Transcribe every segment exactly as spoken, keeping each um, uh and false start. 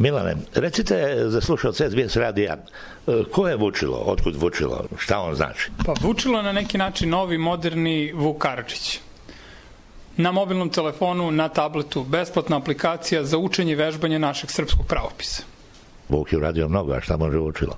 Milane, recite za slušalce S B S radija, ko je Vučilo, otkud Vučilo, šta on znači? Pa Vučilo je na neki način novi, moderni Vuk Karadžić. Na mobilnom telefonu, na tabletu, besplatna aplikacija za učenje i vežbanje našeg srpskog pravopisa. Vuk je uradio mnogo, a šta može Vučilo?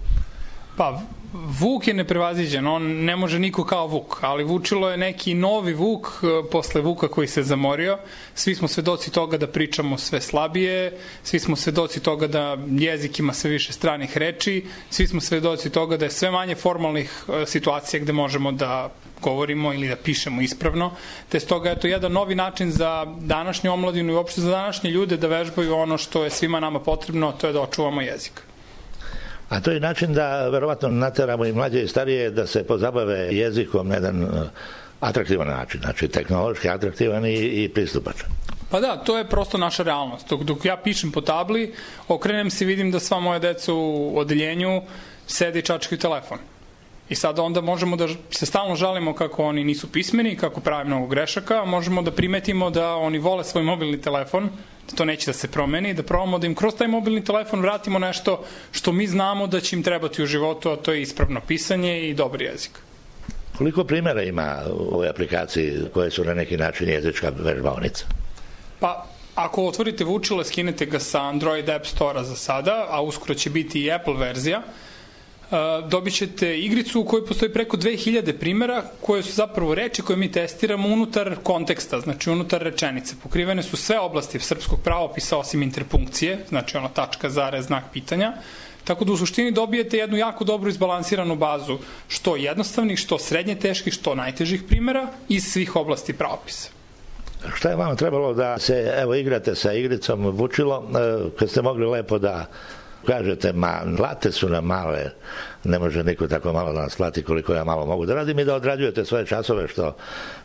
Pa, Vuk je neprevaziđen, on ne može niko kao Vuk, ali Vučilo je neki novi Vuk posle Vuka koji se zamorio. Svi smo svedoci toga da pričamo sve slabije, svi smo svedoci toga da jezik ima sve više stranih reči, svi smo svedoci toga da je sve manje formalnih situacija gde možemo da govorimo ili da pišemo ispravno, te stoga je to jedan novi način za današnju omladinu i uopšte za današnje ljude da vežbaju ono što je svima nama potrebno, to je da očuvamo jezik. A to je način da verovatno nateramo i mlađe i starije da se pozabave jezikom na jedan atraktivan način, znači tehnološki atraktivan i, i pristupačan. Pa da, to je prosto naša realnost. Dok, dok ja pišem po tabli, okrenem se i vidim da sva moja deca u odeljenju sede i čačkaju telefon. I sada onda možemo da se stalno žalimo kako oni nisu pismeni, kako prave mnogo grešaka, a možemo da primetimo da oni vole svoj mobilni telefon, da to neće da se promeni, da probamo da im kroz taj mobilni telefon vratimo nešto što mi znamo da će im trebati u životu, a to je ispravno pisanje i dobar jezik. Koliko primjera ima u ovoj aplikaciji koje su na neki način jezička vežbaonica? Pa, ako otvorite Vučilo, skinete ga sa Android App Store-a za sada, a uskoro će biti i Apple verzija, dobit ćete igricu u kojoj postoji preko dve hiljade primjera koje su zapravo reči koje mi testiramo unutar konteksta, znači unutar rečenice. Pokrivene su sve oblasti srpskog pravopisa osim interpunkcije, znači ono tačka, zarez, znak pitanja, tako da u suštini dobijete jednu jako dobro izbalansiranu bazu što jednostavnih, što srednje teških, što najtežih primjera iz svih oblasti pravopisa. Šta je vama trebalo da se evo igrate sa igricom Vučilo, kad ste mogli lepo da kažete, ma, plate su nam male, ne može niko tako malo da nas plati koliko ja malo mogu da radim i da odrađujete svoje časove, što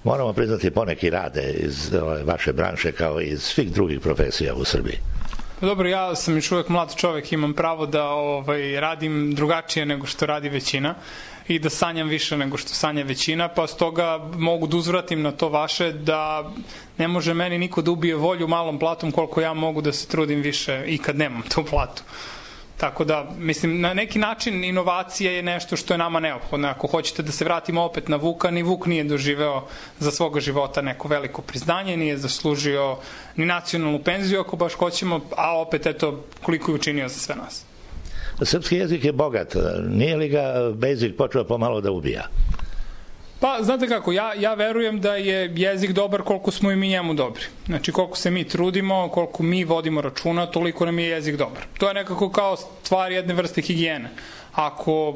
moramo priznati poneki rade iz ove, vaše branše kao i iz svih drugih profesija u Srbiji. Dobro, ja sam još uvek mlad čovek, imam pravo da ovaj, radim drugačije nego što radi većina i da sanjam više nego što sanja većina, pa stoga mogu da uzvratim na to vaše da ne može meni niko da ubije volju malom platom koliko ja mogu da se trudim više i kad nemam tu platu. Tako da, mislim, na neki način inovacija je nešto što je nama neophodno. Ako hoćete da se vratimo opet na Vuka, ni Vuk nije doživeo za svoga života neko veliko priznanje, nije zaslužio ni nacionalnu penziju, ako baš hoćemo, a opet, eto, koliko je učinio za sve nas. Srpski jezik je bogat. Nije li ga Basic počeo pomalo da ubija? Pa, znate kako, ja, ja verujem da je jezik dobar koliko smo i mi njemu dobri. Znači, koliko se mi trudimo, koliko mi vodimo računa, toliko nam je jezik dobar. To je nekako kao stvar jedne vrste higijene. Ako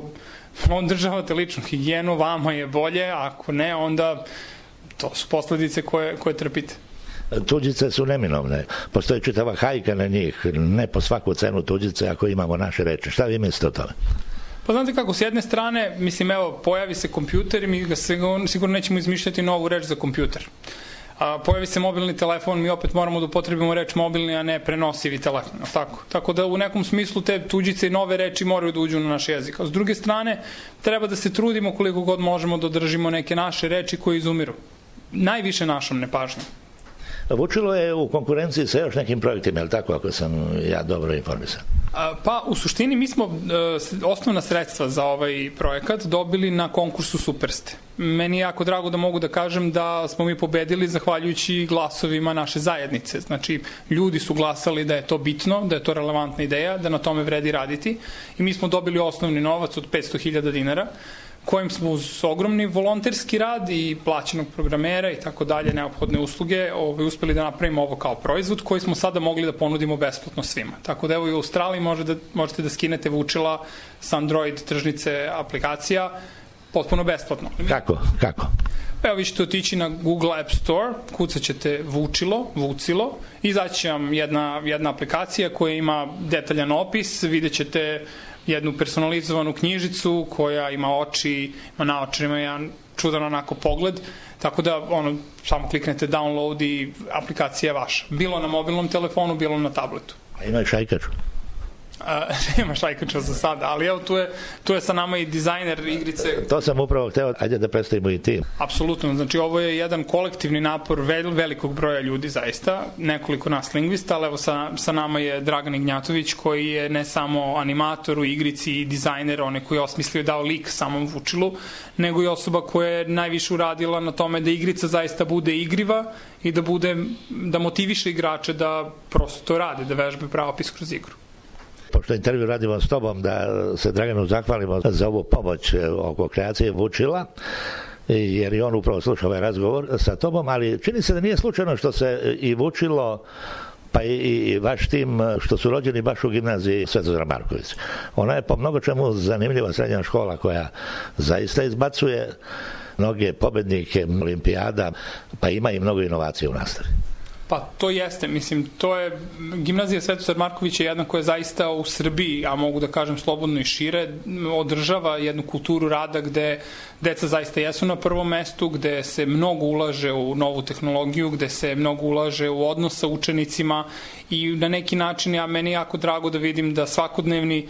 održavate ličnu higijenu, vama je bolje, ako ne, onda to su posledice koje, koje trpite. Tuđice su neminovne. Postoji čitava hajka na njih. Ne po svaku cenu tuđice ako imamo naše reči. Šta vi mislite o tome? Pa znate kako, s jedne strane, mislim, evo, pojavi se kompjuter i mi ga sigurno, sigurno nećemo izmišljati novu reč za kompjuter. A, pojavi se mobilni telefon, mi opet moramo da upotrebimo reč mobilni, a ne prenosivi telefon. Tako. Tako da u nekom smislu te tuđice i nove reči moraju da uđu na naš jezik. A s druge strane, treba da se trudimo koliko god možemo da održimo neke naše reči koje izumiru. Najviše našom nepažnjom. Vučilo je u konkurenciji sa još nekim projektima, je li tako, ako sam ja dobro informisan? Pa, u suštini mi smo osnovna sredstva za ovaj projekat dobili na konkursu Superste. Meni je jako drago da mogu da kažem da smo mi pobedili zahvaljujući glasovima naše zajednice. Znači, ljudi su glasali da je to bitno, da je to relevantna ideja, da na tome vredi raditi i mi smo dobili osnovni novac od petsto hiljada dinara, kojim smo uz ogromni volonterski rad i plaćenog programera i tako dalje, neophodne usluge, ovaj, uspeli da napravimo ovo kao proizvod koji smo sada mogli da ponudimo besplatno svima. Tako da evo i u Australiji možete da, možete da skinete Vučila sa Android tržnice aplikacija potpuno besplatno. Kako? Kako? Evo vi ćete otići na Google App Store, kucat ćete Vučilo, Vucilo, i izaći vam jedna, jedna aplikacija koja ima detaljan opis, vidjet ćete jednu personalizovanu knjižicu koja ima oči, ima naočarima jedan čudan onako pogled, tako da ono, samo kliknete download i aplikacija je vaša. Bilo na mobilnom telefonu, bilo na tabletu. A ima i šajkaču? Uh, nema šajkača za sada, ali evo tu je, tu je sa nama i dizajner igrice. To sam upravo hteo, ajde da predstavimo i tim. Apsolutno, znači ovo je jedan kolektivni napor vel, velikog broja ljudi zaista, nekoliko nas lingvista, ali evo sa, sa nama je Dragan Ignjatović koji je ne samo animator u igrici i dizajner, on je koji je osmislio dao lik samom Vučilu, nego i osoba koja je najviše uradila na tome da igrica zaista bude igriva i da bude, da motiviše igrače da prosto to rade, da vežbe pravopis kroz igru. Pošto intervju radimo s tobom, da se Draganu zahvalimo za ovu pomoć oko kreacije Vučila, jer i on upravo sluša ovaj razgovor sa tobom, ali čini se da nije slučajno što se i Vučilo pa i, i vaš tim, što su rođeni baš u gimnaziji Svetozar Marković. Ona je po mnogo čemu zanimljiva srednja škola koja zaista izbacuje mnoge pobednike olimpijada, pa ima i mnogo inovacija u nastavi. Pa to jeste, mislim, to je, gimnazija Svetozar Marković je jedna koja je zaista u Srbiji, a mogu da kažem slobodno i šire, održava jednu kulturu rada gde deca zaista jesu na prvom mestu, gde se mnogo ulaže u novu tehnologiju, gde se mnogo ulaže u odnos sa učenicima i na neki način ja, meni je jako drago da vidim da svakodnevni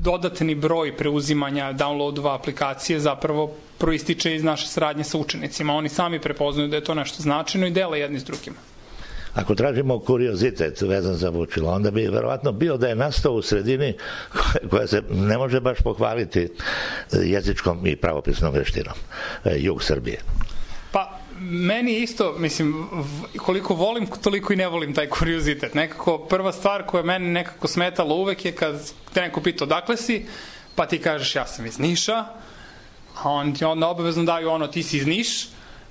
dodatni broj preuzimanja downloadova aplikacije zapravo proističe iz naše saradnje sa učenicima. Oni sami prepoznaju da je to nešto značajno i dele jedni s drugima. Ako tražimo kuriozitet vezan za Vučilo, onda bi verovatno bio da je nastao u sredini koja se ne može baš pohvaliti jezičkom i pravopisnom veštinom, jug Srbije. Pa, meni isto, mislim, koliko volim, toliko i ne volim taj kuriozitet. Nekako, prva stvar koja meni nekako smetala uvek je kad te neko pita odakle si, pa ti kažeš ja sam iz Niša, a on ti onda obavezno daju ono ti si iz Niš,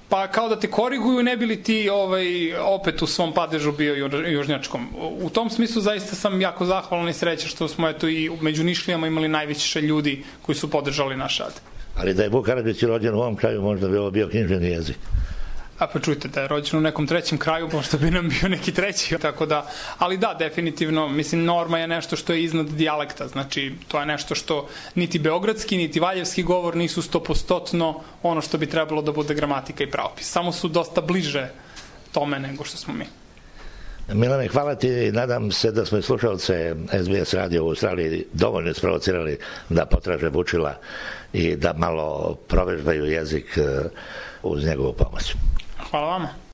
pa kao da te koriguju, ne bi li ti ovaj, opet u svom padežu bio južnjačkom. U tom smislu zaista sam jako zahvalan i srećan što smo eto i među Nišlijama imali najviše ljudi koji su podržali naš rad. Ali da je Vuk Karadžić rođen u ovom kraju, možda bi ovo bio književni jezik. A pa čujte, da je rođen u nekom trećem kraju, možda bi nam bio neki treći, tako da, ali da, definitivno, mislim, norma je nešto što je iznad dijalekta, znači, to je nešto što niti beogradski, niti valjevski govor nisu stopostotno ono što bi trebalo da bude gramatika i pravopis, samo su dosta bliže tome nego što smo mi. Milane, hvala ti i nadam se da smo i slušalce S B S radio u Australiji dovoljno isprovocirali da potraže Vučila i da malo provežbaju jezik uz njegovu pomoć. Hvala vama.